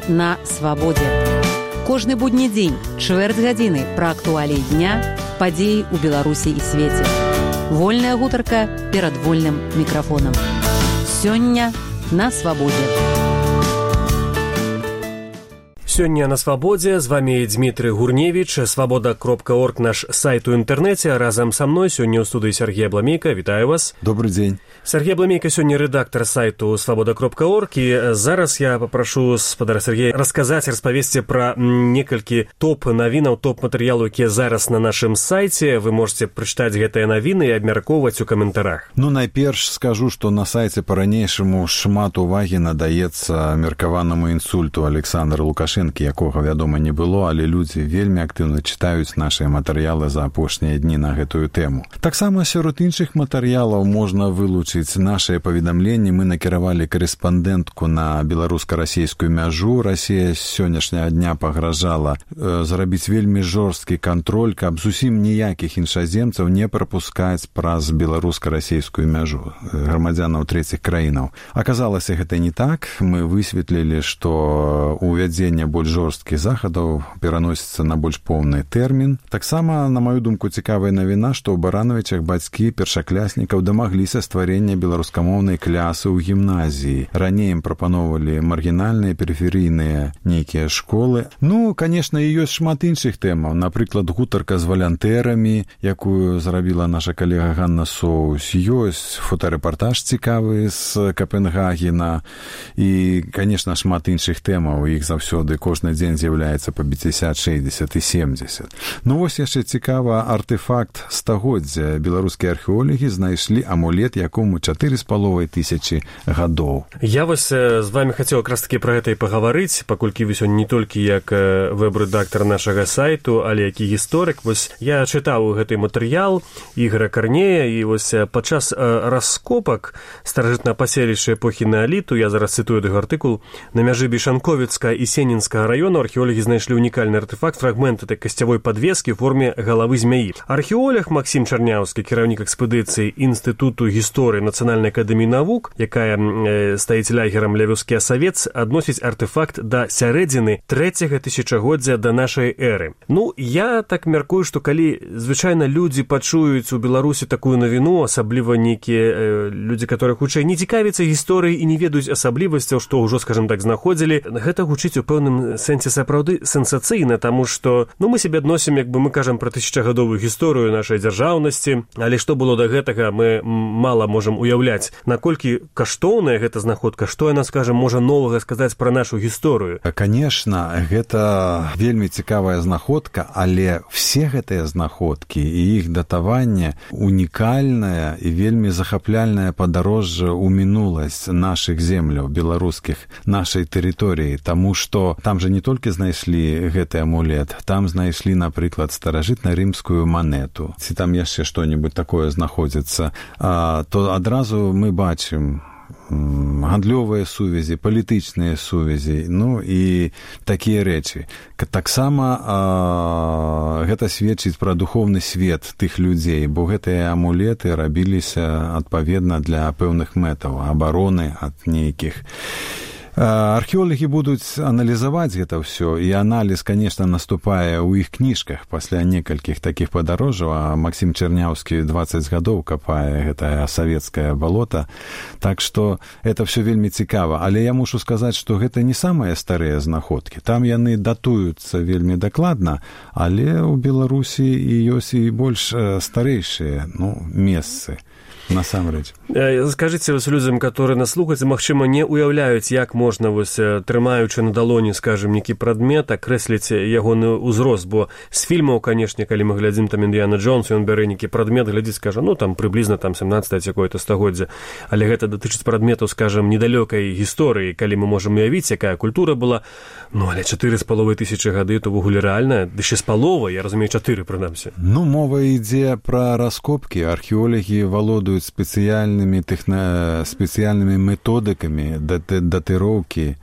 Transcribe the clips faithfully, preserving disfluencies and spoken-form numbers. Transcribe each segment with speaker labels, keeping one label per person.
Speaker 1: на свабодзе. Кожны будні дзень, чвэрць гадзіны пра актуаліі дня, падзеі ў Беларусі і свеце. Вольная гутарка перад вольным мікрафонам. Сёння на свабодзе.
Speaker 2: Сёння на свабодзе з вами Дмітрый Гурневич, свабода кропка орг, наш сайт у інтэрнэце. Разам са мной сёння ў студыі Сергей Абламейка. Вітаю вас.
Speaker 3: Добрый дзень.
Speaker 2: Сергей Абламейка сёння рэдактар сайту свабода кропка орг, і зараз я папрашу спадара Сергея расказаць, распавесці пра некалькі топ-навінаў, топ-матэрыялаў, якія зараз на нашым сайце. Вы можете прачытаць гэтыя навіны і абмяркоўваць у каментарах.
Speaker 3: Ну, найперш скажу, што на сайце па-ранейшаму шмат увагі надаецца меркаванаму інсульту Александра Лукашэнкі, якога, вядома, не было, але людзі вельмі актыўна чытаюць нашыя матэрыялы за апошнія дні на гэтую тэму. Таксама сярод іншых матэрыялаў можна вылучыць нашыя паведамленні. Мы накіравалі корэспандэнтку на беларуска-расійскую мяжу. Расія з сённяшняга дня пагражала э, зрабіць вельмі жорсткі кантроль, каб зусім ніякіх іншаземцаў не прапускаць праз беларуска-расійскую мяжу грамадзянаў трэціх краінаў. Аказалася, гэта не так. Мы высветлілі, што увядзенне больш жорсткіх захадаў пераносіцца на больш поўны тэрмін. Таксама, на маю думку, цікавая навіна, што ў Барановічах бацькі першакляснікаў дамагліся стварэння беларускамоўнай клясы ў гімназіі. Раней ім прапаноўвалі маргінальныя, перыферыйныя нейкія школы. Ну, канешне, і ёсць шмат іншых тэмаў. Напрыклад, гутарка з валянтэрамі, якую зрабіла наша калега Ганна Соус. Ёсць фотарэпартаж цікавы з Капенгагена. І, канешне, шмат іншых тэмаў. Іх заўсёды кожны дзень з'яўляецца па пяцьдзясят, шэсцьдзесят і семдзесят. Ну, вось яшчэ цікава артефакт стагоддзя. Беларускія археолагі знайшлі амулет, якому чатыры з паловай тысячы гадоў.
Speaker 2: Я вось з вами хацеў якраз такі пра гэта і пагаварыць, паколькі вы сёння не толькі як вэб-рэдактар нашага сайту, але як і гісторык. Вось я чытаў гэты матэрыял Ігора Карнея, і вось падчас раскопак старажытнага паселішча эпохі неаліту, я зараз цытую яго артыкул, на мяжы Бішанковіцкага і Сенінскага раёну археолагі знайшлі унікальны артефакт, фрагмент этой касцявой падвескі ў форме галавы змяі. Археолог Максім Чарняўскі, кіраўнік экспедыцыі Інстытуту гісторыі Нацыянальнай акадэміі навук, якая э, стаіць лягерам ля вёскі Асавец, адносіць артефакт да сярэдзіны трэцяга тысячагоддзя да нашай эры. Ну, я так мяркую, што калі звычайна людзі пачуюць у Беларусі такую навіну, асабліва нейкія э, людзі, которые хутчэй не цікавяцца гісторыяй і не ведаюць асаблівасцяў, што ўжо, скажем так, знаходзілі, гэта гучыць у пэўным сэнсе сапраўды сенсацыйна, таму што, ну, мы себе адносім, як бы мы кажам пра тысячагадовую гісторыю нашай дзяржаўнасці, але што было да гэтага, мы мала можам уяўляць, наколькі каштоўная гэта знаходка, што яна, скажам, можа новага сказаць пра нашу гісторыю.
Speaker 3: Канешна, гэта вельмі цікавая знаходка, але все гэтыя знаходкі і іх датаванне унікальнае і вельмі захапляльнае падарожжа ў мінуласць нашых земляў беларускіх, нашай тэрыторыі, таму што там жа не толькі знайшлі гэты амулет, там знайшлі, напрыклад, старажытна-рымскую манету. Ці там яшчэ што-небудзь такое знаходзіцца, а, то адразу мы бачым гандлёвыя сувязі, палітычныя сувязі, ну і такія рэчы. Таксама а, гэта сведчыць пра духоўны свет тых людзей, бо гэтыя амулеты рабіліся адпаведна для пэўных мэтаў, абароны ад нейкіх. Археолагі будуць аналізаваць гэта ўсё, і аналіз, конечно, наступае ў іх кніжках пасля некалькіх такіх падарожжаў, а Максім Чарняўскі дваццаць гадоў капае гэтае савецкае балота, так што это ўсё вельмі цікава. Але я мушу сказаць, што гэта не самыя старыя знаходкі. Там яны датуюцца вельмі дакладна, але ў Беларусі і ёсць і больш старэйшыя, ну, месцы. Насамрэч.
Speaker 2: Скажыце вось людзям, которые нас слухаюць, магчыма, не уяўляюць, як можна, вось, трымаючы на далоні, скажем, нейкі прадмет, акрэсліць ягоны ўзрост, бо з фільмаў, канешне, калі мы глядзім там Індыяна Джонс, ён бярэ нейкі прадмет, глядзіць, скажа, ну, там, прыблізна, там, сямнаццатае якое-то стагоддзя, але гэта датычыць прадметаў, скажем, недалёкай гісторыі, калі мы можам уявіць, якая культура была, ну, але чатыры з паловай тысячы гады, то ввогуле рэальна, ды ще з паловай, я разумею, чатыры, прынамсі.
Speaker 3: Ну, мова ідзе пра раскопкі, археолагі валодуюць спецыяльнымі тэхна... спецыяльнымі методыкамі датыроўкі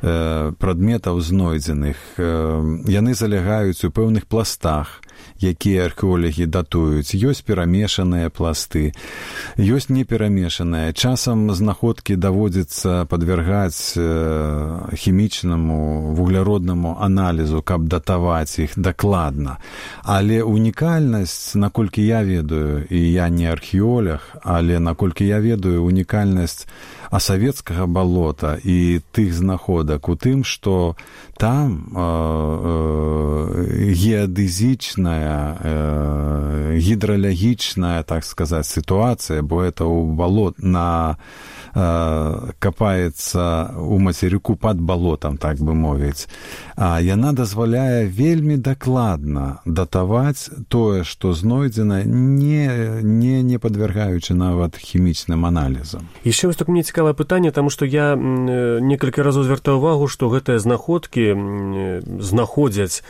Speaker 3: прадметаў знойдзеных. Яны залягаюць у пэўных пластах, якія археолагі датуюць. Ёсць перамешаныя пласты, ёсць неперамешаныя. Часам знаходкі даводзіцца падвяргаць хімічнаму, вугляроднаму аналізу, каб датаваць іх дакладна. Але унікальнасць, наколькі я ведаю, і я не археолог, але наколькі я ведаю, унікальнасць асавецкага балота і тых знаходак у тым, што там э, э, геадэзічная, э, гідралагічная, так сказаць, сітуацыя, бо это ў балот на э, капаецца у мацерыку пад балотам, так бы мовіць. А яна дазваляе вельмі дакладна датаваць тое, што знойдзена, не, не, не падвяргаючы нават хімічным аналізам.
Speaker 2: Яшчэ вось так мне цікавае пытанне, таму што я некалькі разоў звяртаў увагу, што гэтыя знаходкі знаходзяць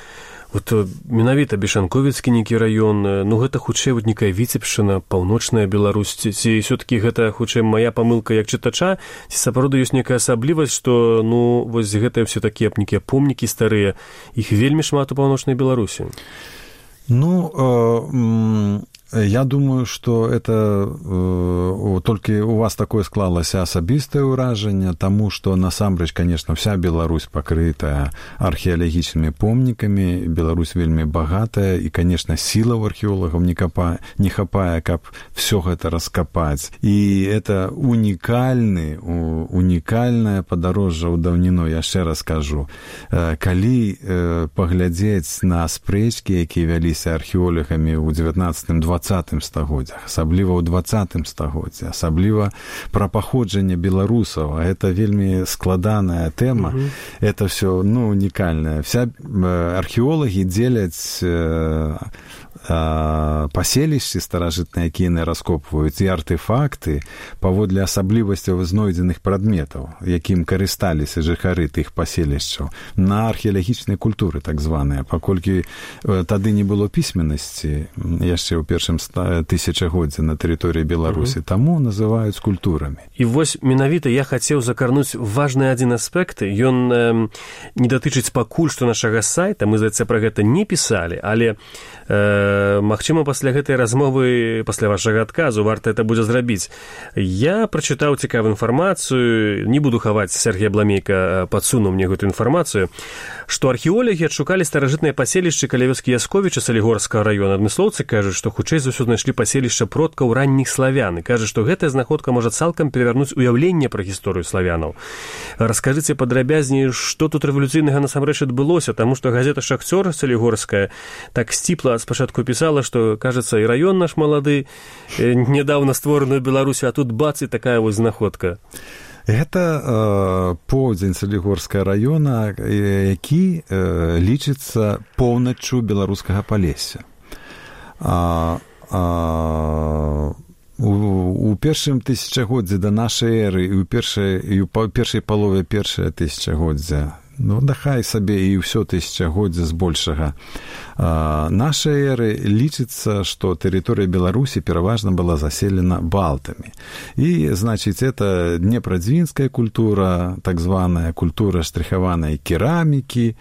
Speaker 2: вот менавіта Бешанковіцкі нейкі раён, ну гэта хутчэй вот некая Віцебшчына, паўночная Беларусь, ці ўсё-такі гэта хутчэй мая памылка як чытача, ці сапраўды ёсць некая асаблівасць, што ну вось гэтыя все такія нейкія помнікі старыя, іх вельмі шмат у паўночнай Беларусі.
Speaker 3: Ну, э, я думаю, что это э, только у вас такое склалось асабістае ўражанне, тому что насамрэч, конечно, вся Беларусь покрытая археалагічнымі помнікамі, Беларусь вельмі багатая, и, конечно, сила у археолагаў не, капа, не хапае, каб все гэта раскапаць. И это унікальны, унікальнае падарожжа ў даўніну, яшчэ раз скажу. Э, калі э, паглядзець на спрэчкі, якія вяліся археолагамі ў дзевятнаццатым дваццатым стагоддзях, асабліва ў дваццатым стагоддзі, асабліва пра паходжанне беларусаў, а это вельмі складаная тэма, угу. Это все, ну, унікальнае. Вся археолагі дзеляць э, э, паселішчы старажытныя, якія яны раскопваюць, і артефакты паводле асаблівасцяў знойдзеных прадметаў, якім карысталіся жыхары тых паселішчаў, на археалагічнай культуры, так званыя, паколькі э, тады не было пісьменнасці яшчэ ў першым тысячагоддзі на тэрыторыі Беларусі, угу. Таму называюць культурамі.
Speaker 2: І вось менавіта я хацеў закарнуць важны адзін аспект. Ён э, не датычыць пакуль што нашага сайта, мы, здаецца, пра гэта не пісалі, але э, магчыма, пасля гэтай размовы, пасля вашага адказу, варта это будзе зрабіць. Я прачытаў цікавую інфармацыю, не буду хаваць, Сергей Абламейка падсунуў мне гэтую інфармацыю, што археолагі адшукалі старажытныя паселішчы каля вёскі Ясковіча Салігорскага района. Адмыслоўцы кажуць, што хутчэй за ўсё знайшлі паселішча продкаў ранніх славян, і кажуць, што гэтая знаходка можа цалкам перавярнуць уяўленне пра гісторыю славянаў. Раскажыце падрабязней, што тут рэвалюцыйнага насамрэч адбылося, таму што газета «Шахцёр» Салігорская так сціпла спачатку пісала, што, кажацца, і раён наш малады, нядаўна створаны ў Беларусі, а тут бац, і такая вось знаходка.
Speaker 3: Гэта э, поўдзень Салігорскага района, які э, лічыцца поўначчу беларускага Палесся. А, а, у, у першым тысячагоддзі да нашай эры і ў першай, і ў першай палове першае тысячагоддзя, ну, дахай сабе і ўсё тысячагоддзя збольшага а, нашай эры лічыцца, што тэрыторыя Беларусі пераважна была заселена балтамі. І, значыць, это днепрадзвінская культура, так званая культура штрыхаванай керамікі.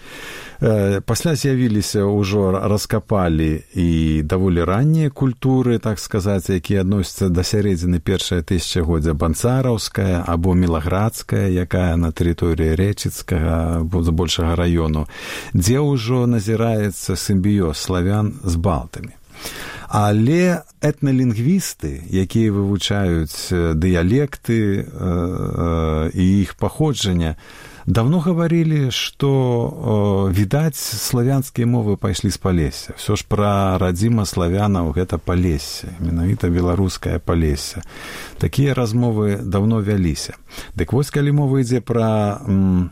Speaker 3: Э, пасля з'явіліся, ўжо раскапалі і даволі раннія культуры, так сказаць, якія адносяцца да сярэдзіны першае тысячагоддзя, банцараўская або мілаградская, якая на тэрыторыі Рэчыцкага, збольшага раёну, дзе ўжо назіраецца сімбіёз славян з балтамі. Але этналінгвісты, якія вывучаюць дыялекты э, э, і іх паходжання, давно гаварылі, што э, відаць, славянскія мовы пайшлі з Палесся. Всё ж пра радзіма славянаў гэта Палессе, менавіта беларускае Палессе. Такія размовы давно вяліся. Дык вось, калі мова ідзе пра м,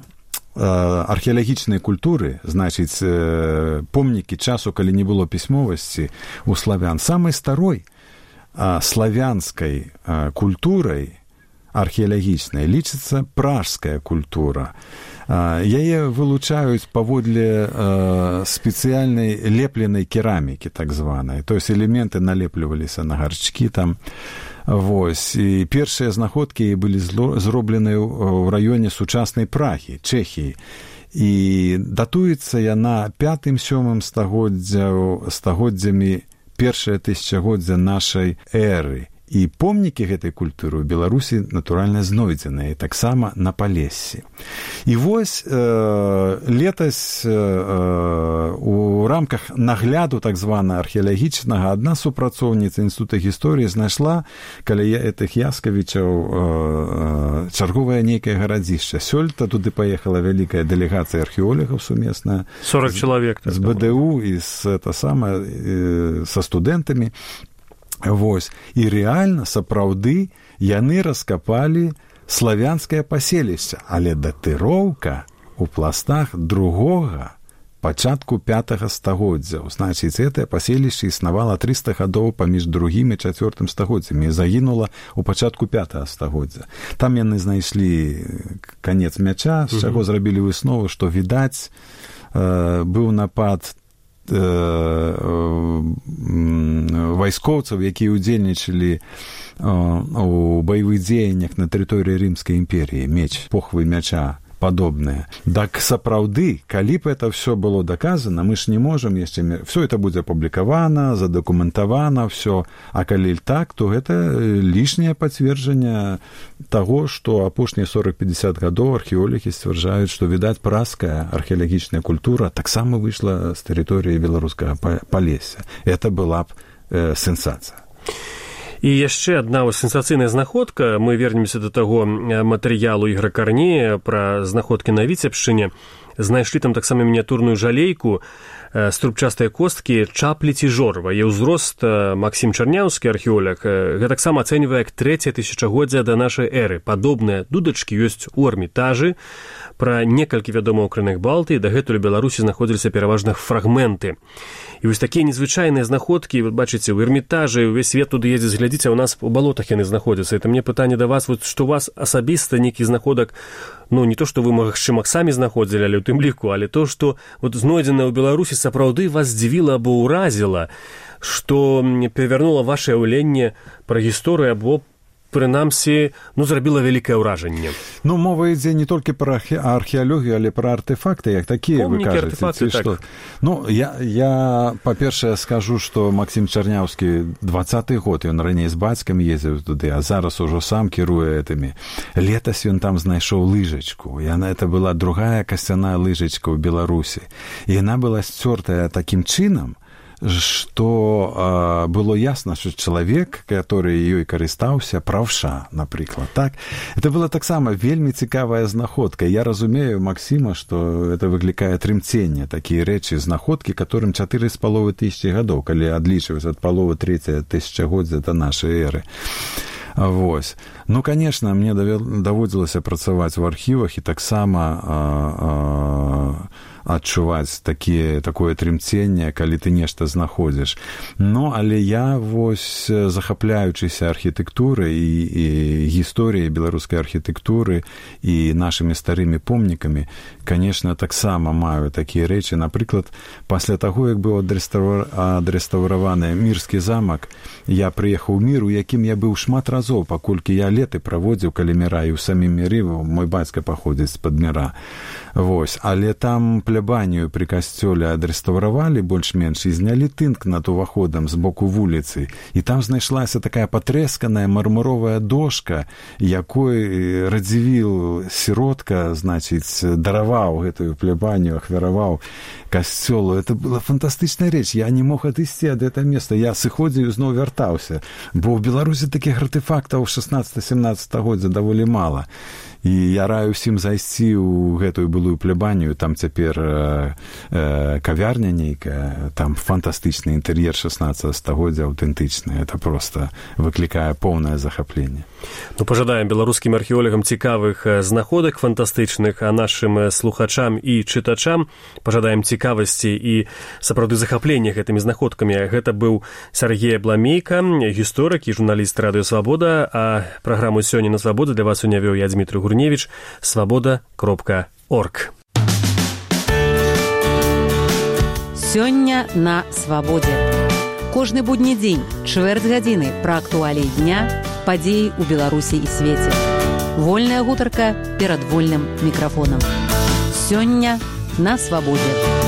Speaker 3: археалагічнай культуры, значыць, помнікі часу, калі не было пісьмовасці у славян, самай старой славянскай культурай археалагічнай лічыцца пражская культура. Яе вылучаюць паводле спецыяльнай лепленай керамікі, так званай. То есть элементы налепліваліся на гарчкі там. Вось. І першыя знаходкі былі зроблены ў раёне сучаснай Прагі, Чэхіі. І датуецца яна пятым-сёмым стагоддзямі першае тысячагоддзя нашай эры. І помнікі гэтай культуры ў Беларусі, натуральна, знойдзеныя, таксама на Палессі. І вось э, летась э, у рамках нагляду так звана археалагічнага адна супрацоўніца Інстытута гісторыі знайшла каля гэтых Яскавічаў э, чарговае нейкае гарадзішча. Сёлета туды паехала вялікая дэлегацыя археолагаў сумесная.
Speaker 2: сорок чалавек.
Speaker 3: З БДУ і з, это самае, э, са студэнтамі. Вось. І рэальна, сапраўды, яны раскапалі славянскае паселішча, але датыроўка ў пластах другога, пачатку пятага стагоддзя. Значыць, гэтае паселішча існавала трыста гадоў паміж другім і чацвёртым стагоддзямі і загінула ў пачатку пятага стагоддзя. Там яны знайшлі канец мяча, з чаго зрабілі выснову, што, відаць, э, быў напад вайскоўцаў, якія ўдзельнічалі у баявых дзеяннях на тэрыторыі Рымскай імперіі, меч, похвы мяча падобныя. Так сапраўды, калі б это все было доказано, мы ж не можем яшчэ... Все это будзе апублікавана, задакументавана, все. А калі так, то гэта лішняе пацверджанне таго, што апошнія сорок-пятьдесят гадоў археолагі сцвярджаюць, што, відаць, празкая археалагічная культура таксама выйшла з тэрыторыі беларускага Палесся. Это была б э, сенсацыя.
Speaker 2: І яшчэ адна сенсацыйная знаходка. Мы вернемся да таго матэрыялу Ігора Карнея пра знаходкі на Віцебшчыне. Знайшлі там таксама мініатурную жалейку з трубчастыя косткі чаплі ці жорва. І ўзрост Максім Чарняўскі, археолог, гэта таксама ацэньвае як трэцяе тысячагоддзя да нашай эры. Падобныя дудачкі ёсць у Эрмітажы. Пра некалькі вядомых крыных Балтыі дагэтуль у Беларусі знаходзіліся пераважна фрагменты. І вось такія незвычайныя знаходкі, вы бачыце, у Эрмітажы, увесь свет туды ездзіць, глядзіце, у нас у балотах яны знаходзяцца. Это мне пытанне да вас, вот, што у вас асабіста нейкі знаходак, ну, не то, што вы, магчыма, самі знаходзілі, але ў тым ліку, але то, што вот, знойдзенае ў Беларусі, сапраўды вас здзівіла або ўразіла, што перавярнула вашае ўяўленне пра гісторыю або прынамсі, ну, зрабіла вялікае ўражанне.
Speaker 3: Ну, мова ідзе не толькі пра археалогію, але пра артефакты, як такія, вы кажаце.
Speaker 2: Артефакты, так.
Speaker 3: Што? Ну, я, я па-першае, скажу, што Максім Чарняўскі дваццаты год, ён раней з бацькам ездзіў туды, а зараз ужо сам кіруе гэтымі. Летась ён там знайшоў лыжачку. Яна, это была другая касцяная лыжачка ў Беларусі. І яна была сцёртая такім чынам, что э, было ясно, что человек, который ёй карыстаўся, правша, напрыклад, так? Это была таксама вельмі цікавая знаходка. Я разумею Максима, что это выклікае трымценне, такія рэчы, знаходкі, которым чатыры з паловай тысячи гадоў, калі адлічваць ад паловы трэцяе тысячагоддзя да нашай эры. Вось. Ну, конечно, мне даводзілася працаваць у архівах і таксама а, а, адчуваць такие, такое трымценне, калі ты нешта знаходзіш. Ну, але я вось, захапляючыся архітэктурай і, і гісторыяй беларускай архітэктуры і нашымі старымі помнікамі, конечно, таксама маю такія рэчы. Напрыклад, пасля таго, як быў адрэстаўраваны Мірскі замак, я прыехаў у Мір, у якім я быў шмат разоў, паколькі я леты праводзіў каля Міра, і ў самім Міры мой бацька паходзіць з-пад Міра. Вось. Але там плябанію пры касцёле адрэстаўравалі больш-менш і знялі тынк над уваходам з боку вуліцы. І там знайшлася такая патрэсканая мармуровая дошка, якой Радзівіл сіротка, значыць, дараваў гэтую плябанію, ахвяраваў касцёлу. Это была фантастычная рэч. Я не мог адысці ад гэтага места. Я сыходзіў і зноў вяртаўся. Бо ў Беларусі такіх артефактаў шаснаццатага-сямнаццатага годдзя даволі мала. І я раю ўсім зайсці ў гэтую былую плябанію, там цяпер э, э, кавярня нейкая, там фантастычны інтэр'ер шаснаццатага стагоддзя, аўтэнтычны. Это проста выклікае поўнае захапленне.
Speaker 2: Ну, пажадаем беларускім археолагам цікавых знаходак фантастычных, а нашым слухачам і чытачам пажадаем цікавасці і сапраўды захаплення гэтымі знаходкамі. Гэта быў Сергей Абламейка, гісторык і журналіст Радыё Свабода, а праграму «Сёння на Свабоде» для вас унявёў я, Дмітрий Гурневич, свобода кропка орг.
Speaker 1: Сёння на Свабодзе. Кожны будні дзень, чвэрць гадзіны пра актуаліі дня, падзеі ў Беларусі і свеце. Вольная гутарка перад вольным мікрафонам. Сёння на свабодзе.